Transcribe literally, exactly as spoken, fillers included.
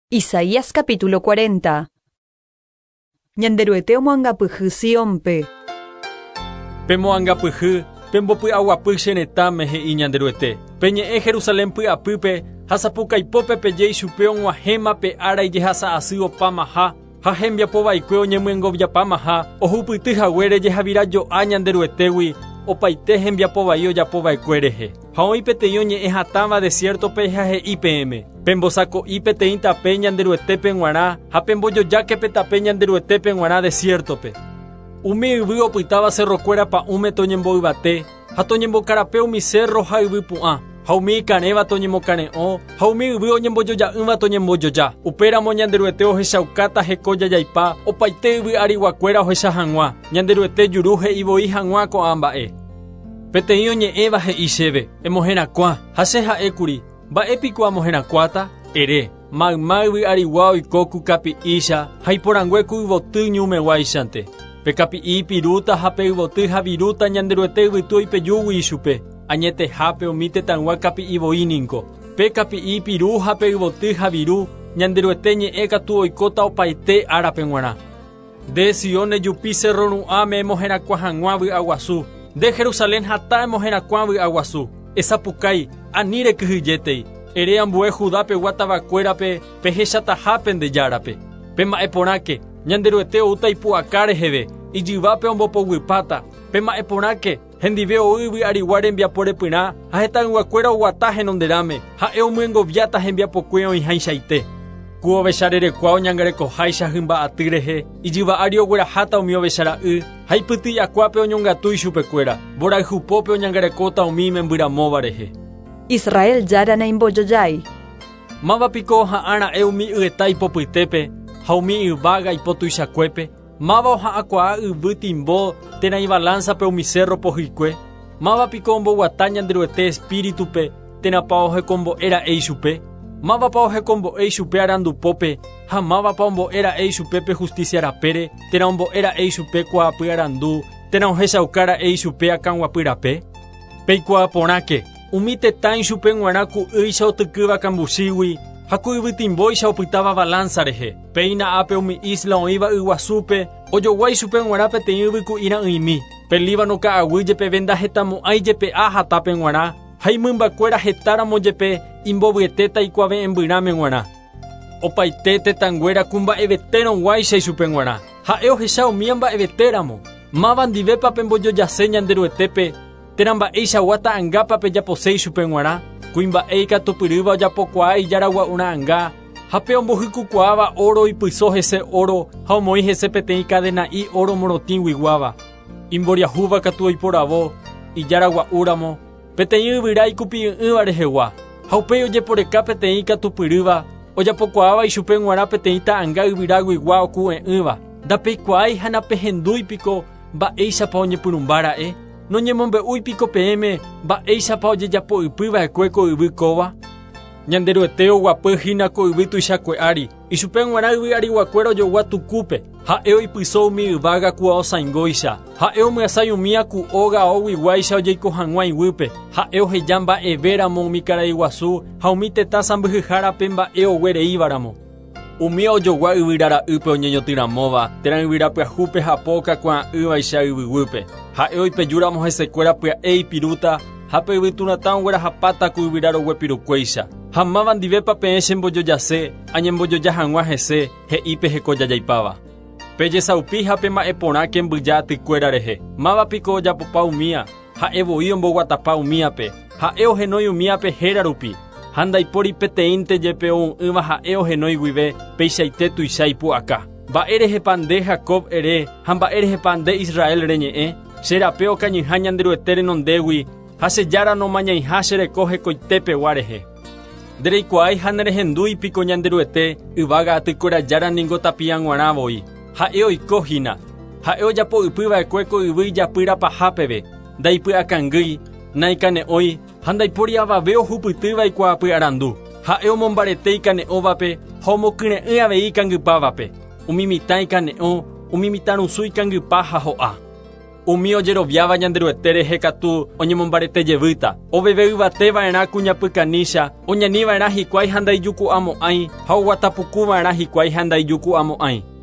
Isaías capítulo cuarenta. Ñanderuete omoangapyhy Siónpe. Pemoangapyhy, pembopy'aguapy che retãme he'i Ñanderuete. Peñe'ẽ Jerusalén py'apýpe ha sapukaipópe peje ichupe og̃uahẽma pe ára ijehasa'asy opamaha ha hembiapovaikue oñemyengoviapamaha ohupyty haguére jehavirajo'a Ñanderuetégui opaite hembiapovai ojapova'ekue rehe. Ha oĩ peteĩ oñe'ẽ hatãva desiertope ha he'i peẽme. Pembosako'i peteĩ tape Ñanderuetépe g̃uarã ha pembojojáke pe tape Ñanderuetépe g̃uarã desiertope. Umi yvy opytáva cerrokuéra pa'ũme toñemboyvate ha toñembokarape umi cerro ha yvypu'ã ha umi ikarẽva toñemokare'õ ha umi yvy oñembojoja'ỹva toñembojoja. Upéramo Ñanderuete ohechaukáta heko jajaipa opaite yvy ariguakuéra ohecha hag̃ua. Ñanderuete juru he'ivoi hag̃ua ko'ã mba'e. Peteĩ oñe'ẽva he'i chéve emoherakuã ha che ha'ékuri mba'épiko amoherakuãta ere mayma yvy arigua oiko ku kapi'ícha ha iporãngue ku yvoty ñumeguáichante. Pe kapi'i pirúta ha pe yvoty ha virúta Ñanderuete yvytu oipejúgui ichupe. Añetehápe umi tetãygua kapi'ivoi niko. Pe kapi'i piru ha pe yvoty ha viru Ñanderuete ñe'ẽ katu oikóta opaite árape g̃uarã. Nde Sión ejupi cerro ru'ãme emoherakuã hag̃ua vy'aguasu. Nde Jerusalén hatã emoherakuã vy'aguasu. Esapukái ani rekyhyjétei. Ere ambue Judápe guatavakuérape pehechatahápe nde járape. Pema'ẽporãke Ñanderuete oúta ipu'aka reheve ijyvápe ombopoguypáta. Pema'ẽporãke hendive ou yvy arigua rembiapo repyrã ha hetãyguakuéra oguata henonderãme ha'e omyengoviáta hembiapokue oĩhaichaite. Ku ovecharerekua oñangarekoháicha hymba'aty rehe ijyva ári ogueraháta umi ovechara'y ha ipyty'akuápe oñongatu ichupekuéra mborayhupópe oñangarekóta umi imembyramóva rehe. Israel jára naimbojojái. Mávapiko oha'ãra'e umi yeta ipopytépe ha umi yvága ipotuichakuépe. Máva oha'ãkuaa yvy timbo térã ibalánzape umi cerro pohyikue. Mávapiko omboguata Ñanderuete espíritupe térãpa ohekombo'éra'e ichupe. Mávapa ohekombo'e ichupe arandupópe ha mávapa ombo'éra'e ichupe pe justicia rapére térã ombo'éra'e ichupe kuaapy arandu térã ohechaukára'e ichupe akãguapy rape. Peikuaaporãke umi tetã ichupe g̃uarã ku'ýicha otykýva kambuchígui ha ku yvytimbóicha opytáva balanza rehe. Péina ápe umi isla oĩva yguasúpe ojogua ichupe g̃uarã peteĩ yvyku'ira'ỹimi. Pe Líbano ka'aguy jepeve ndahetamo'ãi jepe'a hatápe g̃uarã ha imymbakuéra hetáramo jepe imbovyetéta ikuave'ẽmbyrãme g̃uarã. Opaite tetãnguéra ku mba'evetérõguáicha ichupe g̃uarã. Ha'e ohecha umía mba'evetéramo. Máva ndivépa pembojojase Ñanderuetépe térã mba'eichagua ta'ãngápa pejapose ichupe g̃uarã. Kuimba'e ikatupyrýva ojapokuaa ijaragua'ura'ãnga ha pe ombohykukuaáva oro ipyso hese oro ha omoĩ hese peteĩ kadena'i oro morotĩguiguáva. Imboriahúva katu oiporavo ijaragua'úramo peteĩ yvyra ikupi'ỹ'ỹva rehegua ha upéi ojeporeka peteĩ ikatupyrýva ojapokuaáva ichupe g̃uarã peteĩ ta'ãnga yvyraguigua oku'e'ỹva. Ndapeikuaái ha napehendúipiko mba'éichapa oñepyrũmbára'e. Noñemombe'úipiko peẽme mba'éichapa ojejapo'ypyva'ekue ko yvy kóva. Ñanderuete oguapy hína ko yvy tuichakue ári. Ichupe g̃uarã yvy ariguakuéra ojogua tukúpe. Ha'e oipyso umi yvága ku aosãingóicha. Ha'e omyasãi umía ku óga aoguiguáicha ojeiko hag̃ua iguýpe. Ha'e oheja mba'evéramo umi karai guasu ha umi tetã sãmbyhyhárape mba'e oguereívaramo. Umi ojogua yvyrara'ýpe oñeñotỹramóva térã yvyrapyahúpe hapo okakuaa'ỹvaicha yvyguýpe. Ha'e oipejúramo hesekuéra pya'e ipirúta ha pe yvyturatã oguerahapáta ku yvyraroguepirukuéicha. Ha máva ndivépa peẽ chembojojase añembojoja hag̃ua hese he'i pe hekojajaipáva. Pejesaupi ha pema'ẽporãke mbyja atykuéra rehe. Mávapiko ojapopa umía ha'e voi omboguatapa umíape. Ha'e ohenói umíape héra rupi. Ha ndaipóri peteĩnte jepe ou'ỹva ha'e ohenói guive peichaite tuicha ipu'aka. Mba'érehepa nde Jacob ere ha mba'érehepa nde Israel reñe'ẽ. Che rape okañyha Ñanderuete renondégui ha che jára nomañaiha che reko hekoitépegua rehe. Ndereikuaái ha nerehendúipiko Ñanderuete yvága atykuéra jára ningo tapia g̃uarã voi. Ha'e oiko hína. Ha'e ojapo'ypyva'ekue ko yvy ijapýrapaha peve. Ndaipy'akangýi, naikane'õi ha ndaipóri avave ohupytýva ikuaapy arandu. Ha'e omombarete ikane'õvape ha omokyre'ỹ avei ikangypávape. Umi mitã ikane'õ, umi mitãrusu ikangypa ha ho'a. Umi ojeroviáva Ñanderuete rehe katu oñemombarete jevýta. Oveve yvateva'erã kuñapykanícha, oñaniva'erã hikuái ha ndaijuku'amo'ãi, ha oguatapukuva'erã hikuái ha ndaijuku'amo'ãi.